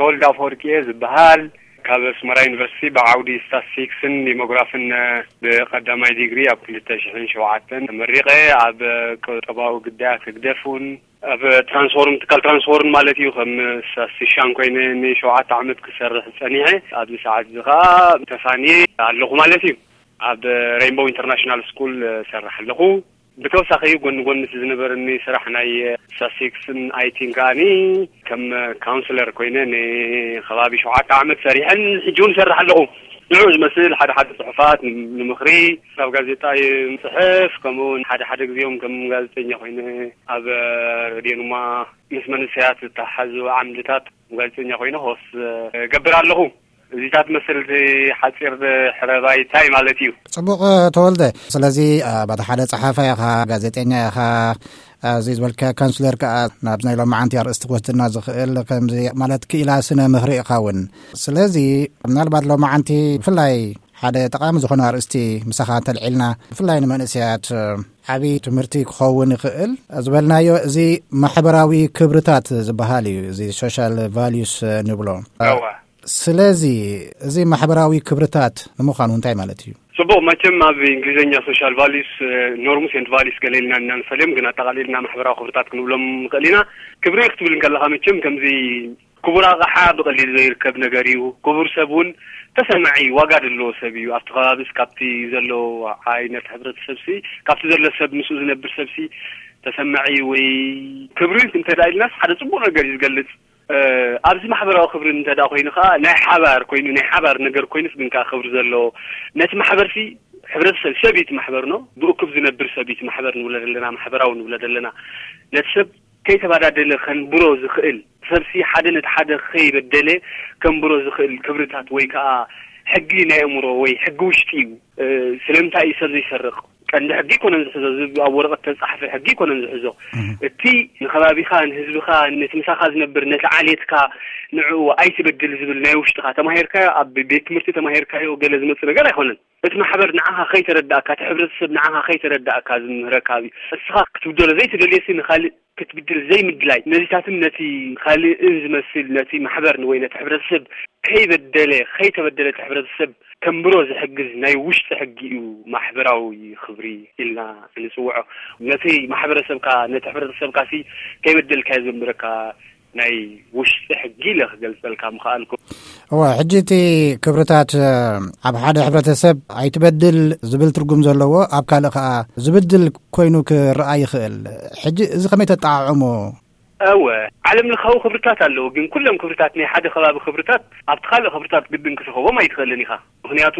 ተወልደ ኣፈወርቂ እየ ዝበሃል። ካብ ኣስመራ ዩኒቨርሲቲ ብዓውዲ ስታትስቲክስን ዲሞግራፍን ብቀዳማይ ዲግሪ ኣብ ክልተ ሽሕን ሸውዓተን ተመሪቐ። ኣብ ቁጠባዊ ግዳያት ህግደፍ እውን ኣብ ትራንስፎርም፣ ትካል ትራንስፎርም ማለት እዩ፣ ከም ስታትስቲሻን ኮይነ ንሸውዓተ ዓመት ክሰርሕ ጸኒሐ። ኣብዚ ሰዓት እዚ ከኣ ተፋንየ ኣለኹ ማለት እዩ። ኣብ ሬይንቦው ኢንተርናሽናል ስኩል እሰርሕ ኣለኹ። ብተወሳኺ ጎኒ ጎኒ እቲ ዝነበረኒ ስራሕ ናይ ስታትስቲክስን ኣይቲን ከኣኒ ከም ካውንስለር ኮይነ ንከባቢ ሸውዓተ ዓመት ሰሪሐን ሕጂ እውን እሰርሕ ኣለኹ። ንዕኡ ዝመስል ሓደ ሓደ ጽሑፋት ንምኽሪ፣ ካብ ጋዜጣ ይጽሕፍ፣ ከምኡ እውን ሓደ ሓደ ግዜኦም ከም ጋዜጠኛ ኮይነ ኣብ ሬድዮ ኑማ ምስ መንእሰያት ዝተሓዙ ዓምድታት ጋዜጠኛ ኮይነ ሆስት ገብር ኣለኹ። እዚታት መስል እቲ ሓጺር ሕረባይታይ ማለት እዩ። ጽቡቕ ተወልደ። ስለዚ፣ ኣ፣ ባታ ሓደ ጸሓፋይ ኢኻ፣ ጋዜጠኛ ኢኻ፣ እዚ ዝበልካ ካውንስለር ከኣ ናብ ናይ ሎማዓንቲ ኣርእስቲ ክወስድና ዝኽእል ከምዚ ማለት ክኢላ ስነ ምኽሪ ኢኻ እውን። ስለዚ ምናልባት ሎማዓንቲ ብፍላይ ሓደ ጠቓሚ ዝኾነ ኣርእስቲ ምሳኻ እንተልዒልና፣ ብፍላይ ንመንእሰያት ዓቢ ትምህርቲ ክኸውን ይኽእል ዝበልናዮ፣ እዚ ማሕበራዊ ክብርታት ዝበሃል እዩ፣ እዚ ሶሻል ቫልዩስ ንብሎ። እዋ። ስለዚ እዚ ማሕበራዊ ክብርታት ንምዃኑ እንታይ ማለት እዩ? ጽቡቕ፣ መቸም ኣብ እንግሊዝኛ ሶሻል ቫልዩስ፣ ኖርምስ ኤንድ ቫልዩስ ገለ ኢልና ኢና ንፈልዮም፣ ግን ኣጠቓሊልና ማሕበራዊ ክብርታት ክንብሎም ንኽእል ኢና። ክብሪ ክትብል እንከለኻ መቸም ከምዚ ክቡር ኣቕሓ ብቐሊሉ ዘይርከብ ነገር እዩ። ክቡር ሰብ እውን ተሰማዒ ዋጋ ዘለዎ ሰብ እዩ። ኣብቲ ከባቢስ ካብቲ ዘሎ ዓይነት ሕብረተሰብሲ፣ ካብቲ ዘሎ ሰብ ምስኡ ዝነብር ሰብሲ ተሰማዒ ወይ ክብሪ እንተ ደኣ ኢልናስ ሓደ ጽቡቕ ነገር እዩ ዝገልጽ። እ፣ ኣብዚ ማሕበራዊ ክብሪ እንተ ደኣ ኮይኑ ከኣ ናይ ሓባር ኮይኑ፣ ናይ ሓባር ነገር ኮይኑስ ግን ከኣ ክብሪ ዘለዎ ነቲ ማሕበርሲ ሕብረተሰብ ሰብ እዩ እቲ ማሕበር ነው። ብእኩብ ዝነብር ሰብ እዩ እቲ ማሕበር ንብሎ ዘለና፣ ማሕበራዊ ንብሎ ዘለና። ነቲ ሰብ ከይተባዳደለ ከንብሮ ዝኽእል፣ ሰብሲ ሓደ ነቲ ሓደ ከይበደለ ከንብሮ ዝኽእል ክብርታት ወይ ከኣ ሕጊ ናይ ኣእምሮ ወይ ሕጊ ውሽጢ እዩ። እ፣ ስለምንታይ እዩ ሰብ ዘይሰርቕ? ቀንዲ ሕጊ ኣይኮነን ዝሕዞ፣ እዚ ኣብ ወረቐት ተጻሕፈ ሕጊ ኣይኮነን ዝሕዞ። እህ። እቲ ንኸባቢኻ፣ ንህዝብኻ፣ ነቲ ምሳኻ ዝነብር፣ ነቲ ዓሌትካ፣ ንዕኡ ኣይትበድል ዝብል ናይ ውሽጥኻ ተማሂርካዮ፣ ኣብ ቤት ትምህርቲ ተማሂርካዮ ገለ ዝመጽእ ነገር ኣይኮነን። እቲ ማሕበር ንዓኻ ከይተረዳእካ፣ እቲ ሕብረተሰብ ንዓኻ ከይተረዳእካ ዝምህረካ እዩ። እስኻ ክትብደሎ ዘይትደልየሲ ንኻልእ ክትብድል ዘይምድላይ፣ ነዚታትን ነቲ ካልእን ዝመስል፣ ነቲ ማሕበር ወይ ነቲ ሕብረተሰብ ከይበደለ፣ ከይተበደለ እቲ ሕብረተሰብ ከንብሮ ዝሕግዝ ናይ ውሽጢ ሕጊ እዩ ማሕበራዊ ክብሪ ኢልና እንጽውዖ። ነቲ ማሕበረሰብካ፣ ነቲ ሕብረተሰብካ ሲ ከይበደልካዮ ዘንብረካ ናይ ውሽጢ ሕጊ ኢለ ክገልጸልካ ምኽኣልኩ። እወ፣ ሕጂ እቲ ክብርታት፣ እ፣ ኣብ ሓደ ሕብረተሰብ ኣይትበድል ዝብል ትርጉም ዘለዎ፣ ኣብ ካልእ ከኣ ዝብድል ኮይኑ ክረኣ ይኽእል። ሕጂ እዚ ከመይ ተጠዓዕሞ? እወ፣ ዓለም ለኻዊ ክብርታት ኣለዉ፣ ግን ኩሎም ክብርታት ናይ ሓደ ከባቢ ክብርታት ኣብቲ ካልእ ክብርታት ግድን ክትረኽቦም ኣይትኽእልን ኢኻ። ምኽንያቱ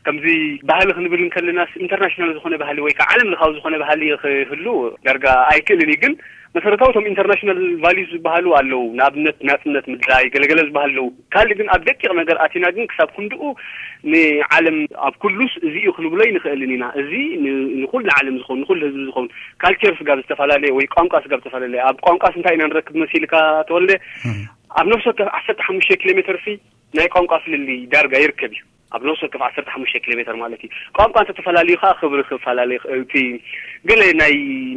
ከምዚ ባህሊ ክንብል እንከለናስ ኢንተርናሽናል ዝኾነ ባህሊ ወይ ከዓ ዓለም ለኻዊ ዝኾነ ባህሊ ክህሉ ዳርጋ ኣይክእልን እዩ። ግን መሰረታዊ እቶም ኢንተርናሽናል ቫልዩስ ዝበሃሉ ኣለዉ። ንኣብነት ናጽነት ምድላይ ገለገለ ዝበሃሉ ኣለዉ። ካልእ ግን ኣብ ደቂቕ ነገር ኣቲና ግን ክሳብ ክንድኡ ንዓለም ኣብ ኩሉስ እዚ እዩ ክንብሎ ኣይንኽእልን ኢና። እዚ ን-፣ ንኹሉ ዓለም ዝኸውን፣ ንኹሉ ህዝቢ ዝኸውን፣ ካልቸር ስጋብ ዝተፈላለየ ወይ ቋንቋ ስጋብ ዝተፈላለየ፣ ኣብ ቋንቋስ እንታይ ኢና ንረክብ መሲልካ ተወልደ? እም። ኣብ ነፍሲ ወከፍ ዓሰርተ ሓሙሽተ ኪሎ ሜትር ሲ ናይ ቋንቋ ፍልልይ ዳርጋ ይርከብ እዩ። ኣብ ነፍሲ ወከፍ ዓሰርተ ሓሙሽተ ኪሎ ሜትር ማለት እዩ። ቋንቋ እንተተፈላለዩ ከኣ ክብሪ ክፈላለ ይኽእል፣ እቲ ገለ ናይ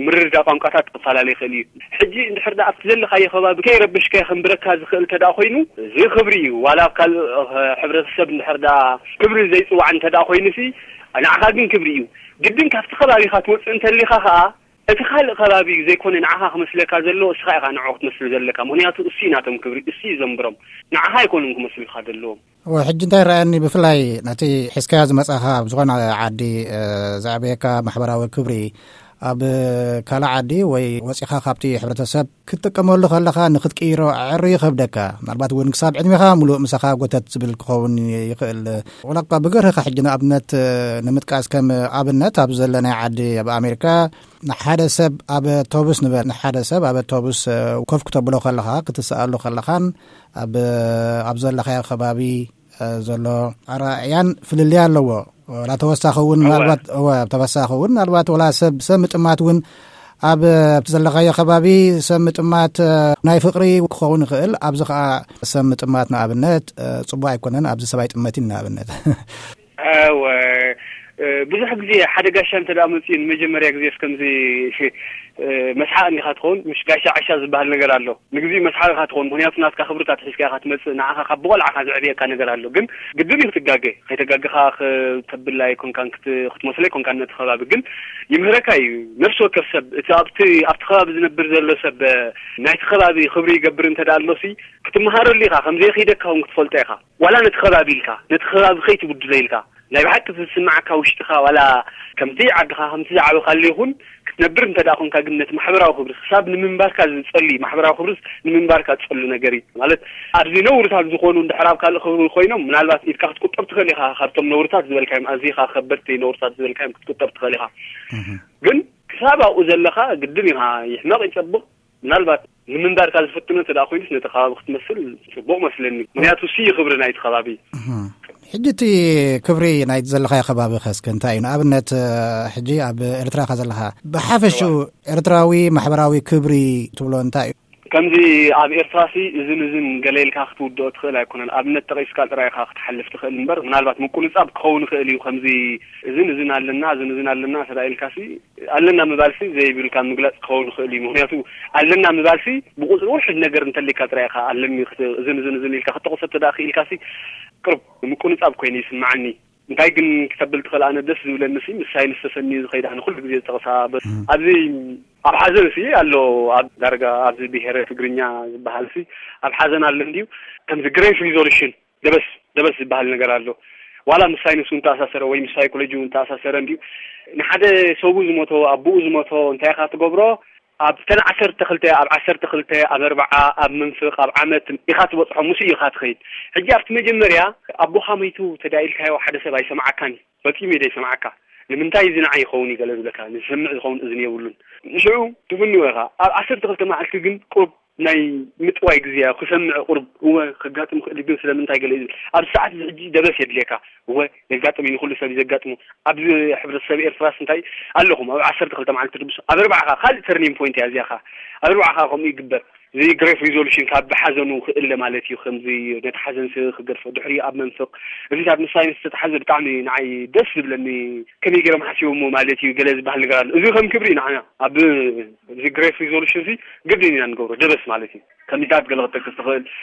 ምርድዳእ ቋንቋታት ክፈላለ ይኽእል እዩ። ሕጂ እንድሕር ደኣ ኣብቲ ዘለኻዮ ከባቢ ከይረበሽካዮ ከንብረካ ዝኽእል እንተ ደኣ ኮይኑ፣ እዚ ክብሪ እዩ። ዋላ ኣብ ካልእ፣ እ፣ ሕብረተሰብ እንድሕር ደኣ ክብሪ ዘይጽዋዕ እንተ ደኣ ኮይኑሲ፣ ንዓኻ ግን ክብሪ እዩ። ግድን ካብቲ ከባቢኻ ትወጽእ እንተሊኻ ከኣ፣ እቲ ካልእ ከባቢ እዩ ዘይኮነ ንዓኻ ክመስለካ ዘለዎ፣ እስኻ ኢኻ ንዕኡ ክትመስል ዘለካ። ምኽንያቱ እሱ እዩ ናቶም ክብሪ፣ እሱ እዩ ዘንብሮም። ንዓኻ ኣይኮኑን ክመስሉኻ ዘለዎም። እወ፣ ሕጂ እንታይ ረኣየኒ፣ ብፍላይ ነቲ ሒዝካዮ ዝመጻኻ ኣብ ዝኾነ ዓዲ፣ እ፣ ዘዕበየካ ማሕበራዊ ክብሪ፣ ኣብ ካልእ ዓዲ ወይ ወጺኻ ካብቲ ሕብረተሰብ ክትጥቀመሉ ከለኻ ንኽትቅይሮ ኣዕሪ ይኸብደካ። ምናልባት እውን ክሳብ ዕድሜኻ ሙሉእ ምሳኻ ጎተት ዝብል ክኸውን ይኽእል። ወላ እኳ ብገርህኻ ሕጂ ንኣብነት፣ እ፣ ንምጥቃስ ከም ኣብነት ኣብ ዘለናይ ዓዲ ኣብ ኣሜሪካ ንሓደ ሰብ ኣብ ኣውቶቡስ ንበል፣ ንሓደ ሰብ ኣብ ኣውቶቡስ፣ እ፣ ኮፍ ክተብሎ ከለኻ፣ ክትሰኣሉ ከለኻን ኣብ፣ ኣብ ዘለኻዮ ከባቢ፣ እ፣ ዘሎ ኣረኣእያን ፍልልይ ኣለዎ። ወላ ተወሳኺ እውን እወ። ምናልባት፣ እወ፣ ተወሳኺ እውን ምናልባት ወላ ሰብ፣ ሰብ ምጥማት እውን ኣብ፣ ኣብቲ ዘለኻዮ ከባቢ ሰብ ምጥማት፣ እ፣ ናይ ፍቕሪ ክኸውን ይኽእል። ኣብዚ ኸዓ ሰብ ምጥማት ንኣብነት፣ እ፣ ጽቡቕ ኣይኮነን። ኣብዚ ሰብ ኣይጥመትን ንኣብነት። እወ። ብዙሕ ግዜ ሓደ ጋሻ እንተ ደኣ መፅኡ፣ ንመጀመርያ ግዜ እስከምዚ መስሓቕ እንዲኻ ትኸውን። ምሽ ጋሻ ዓሻ ዝበሃል ነገር ኣሎ። ንግዜኡ መስሓቕ ኢኻ ትኸውን፣ ምኽንያቱ ናትካ ክብርታት ሒዝካ ኢኻ ትመፅእ። ንዓኻ ካብ ብቆልዓኻ ዘዕብየካ ነገር ኣሎ። ግን ግድን እዩ ክትጋገ። ከይተጋገኻ ክተብል ኣይኮንካን፣ ክት- ክትመስሎ ኣይኮንካን ነቲ ከባቢ። ግን ይምህረካ እዩ። ነፍሲ ወከፍ ሰብ እቲ ኣብቲ ኣብቲ ከባቢ ዝነብር ዘሎ ሰብ ናይቲ ከባቢ ክብሪ ይገብር እንተ ደኣ ኣሎሲ ክትመሃረሉ ኢኻ። ከም ዘይኺደካ እውን ክትፈልጦ ኢኻ። ዋላ ነቲ ከባቢ ኢልካ፣ ነቲ ከባቢ ከይትብድሎ ኢልካ፣ ናይ ብሓቂ ዝስምዓካ ውሽጥኻ ዋላ ከምቲ ዓድኻ ከምቲ ዝዓበኻሉ ይኹን ክትነብር እንተ ደኣ ኾንካ፣ ግን ነቲ ማሕበራዊ ክብሪ ክሳብ ንምንባርካ ዝጸሉ፣ ማሕበራዊ ክብርስ ንምንባርካ ዝጸሉ ነገር እዩ። ማለት ኣብዚ ነውርታት ዝኾኑ እንድሕር ኣብ ካልእ ክብሪ ኮይኖም ምናልባት ኢድካ ክትቁጠብ ትኽእል ኢኻ። ካብቶም ነውርታት ዝበልካዮም፣ ኣዚኻ ከበድቲ ነውርታት ዝበልካዮም ክትቁጠብ ትኽእል ኢኻ። ግን ክሳብ ኣብኡ ዘለኻ ግድን ኢኻ። ይሕመቕ ይጸብቕ፣ ምናልባት ንምንባርካ ዝፍትኑ እንተ ደኣ ኮይኑስ ነቲ ከባቢ ክትመስል ጽቡቕ መስለኒ። ምኽንያቱ እሱ እዩ ክብሪ ናይቲ ከባቢ። እህ። ሕጂ እቲ ክብሪ ናይ ዘለኻዮ ከባቢ ኸ እስከ እንታይ እዩ? ንኣብነት፣ ሕጂ ኣብ ኤርትራ ኢኻ ዘለኻ። ብሓፈሽኡ ኤርትራዊ ማሕበራዊ ክብሪ ትብሎ እንታይ እዩ? ከምዚ ኣብ ኤርትራሲ እዝን እዝን ገለ ኢልካ ክትውድኦ ትኽእል ኣይኮነን። ኣብነት ጠቒስካ ጥራይ ኢኻ ክትሓልፍ ትኽእል እምበር፣ ምናልባት ምቁንጻብ ክኸውን ይኽእል እዩ። ከምዚ እዝን እዝን ኣለና፣ እዝን እዝን ኣለና እንተ ደኣ ኢልካሲ፣ ኣለና ምባልሲ ዘይብልካ ምግላጽ ክኸውን ይኽእል እዩ። ምኽንያቱ ኣለና ምባልሲ ብቁጽሪ ውሑድ ነገር እንተሊካ ጥራይ ኢኻ ኣለኒ ክት-፣ እዝን እዝን እዝን ኢልካ ክትጠቕሶ እንተ ደኣ ክኢልካሲ ቅርብ ምቁንጻብ ኮይኑ ይስምዓኒ። እንታይ ግን ክተብል ትኽእል፣ ኣነ ደስ ዝብለኒ ሲ ምስ ሳይንስ ተሰንዩ ዝኸይድ፣ ኣነ ኩሉ ግዜ ዝጠቕሳ በ-፣ እም። ኣብዚ ኣብ ሓዘን ሲ ኣሎ፣ ኣብ ዳርጋ ኣብዚ ብሄረ ትግርኛ ዝበሃል ሲ ኣብ ሓዘን ኣሎ እንድዩ፣ ከምዚ ግሬት ሪዞሉሽን ደበስ ደበስ ዝበሃል ነገር ኣሎ። ዋላ ምስ ሳይንስ እውን ተኣሳሰረ ወይ ምስ ሳይኮሎጂ እውን ተኣሳሰረ እንድዩ። ንሓደ ሰቡ ዝሞቶ፣ ኣቦኡ ዝሞቶ እንታይ ኢኻ ትገብሮ? ኣብተን ዓሰርተ ክልተ፣ ኣብ ዓሰርተ ክልተ፣ ኣብ ኣርብዓ፣ ኣብ መንፍቕ፣ ኣብ ዓመት ኢኻ ትበጽሖ፣ ምስኡ ኢኻ ትኸይድ። ሕጂ ኣብቲ መጀመርያ ኣቦኻ ሞይቱ ተዳኢልካዮ ሓደ ሰብ ኣይሰምዓካን እዩ። ፈጺሙ እዩ ዘይሰምዓካ። ንምንታይ እዚ ንዓይ ይኸውን እዩ ገለ ዝብለካ፣ ንዝሰምዕ ዝኸውን እዝኒ የብሉን። ንሽዑ ትፍንዎ ኢኻ። ኣብ ዓሰርተ ክልተ መዓልቲ ግን ቁሩብ ናይ ምጥዋይ ግዜ እያ። ክሰምዕ ቁሩብ፣ እወ፣ ከጋጥም ክእል እዩ፣ ግን ስለምንታይ ገለ እዩ ዝብል። ኣብዚ ሰዓት እዚ ሕጂ ደበስ የድልየካ። እወ፣ የጋጥም እዩ፣ ንኹሉ ሰብ እዩ ዘጋጥሙ። ኣብዚ ሕብረተሰብ ኤርትራስ እንታይ ኣለኹም? ኣብ ዓሰርተ ክልተ መዓልቲ ድብሱ፣ ኣብ ኣርባዕኻ ካልእ ተርኒንግ ፖይንት እያ እዚኣ ኸዓ። ኣብ ኣርባዕኻ ከምኡ ይግበር። እዚ ግሬት ሪዞሉሽን ካብ ሓዘኑ ክእለ ማለት እዩ። ከምዚ ነቲ ሓዘን ስ-፣ ክገድፎ፣ ድሕሪ ኣብ መንፍቕ፣ እዚታት ምስ ሳይንስ ዝተተሓዘ ብጣዕሚ ንዓይ ደስ ዝብለኒ፣ ከመይ ገይሮም ሓሲቦሞ ማለት እዩ፣ ገለ ዝበሃል ነገር ኣሎ። እዚ ከም ክብሪ ንዓና ኣብ እዚ ግሬት ሪዞሉሽን እዚ ግድን ኢና ንገብሮ፣ ደበስ ማለት እዩ። ከሚታት ገለ ክትጠቅስ ትኽእል፣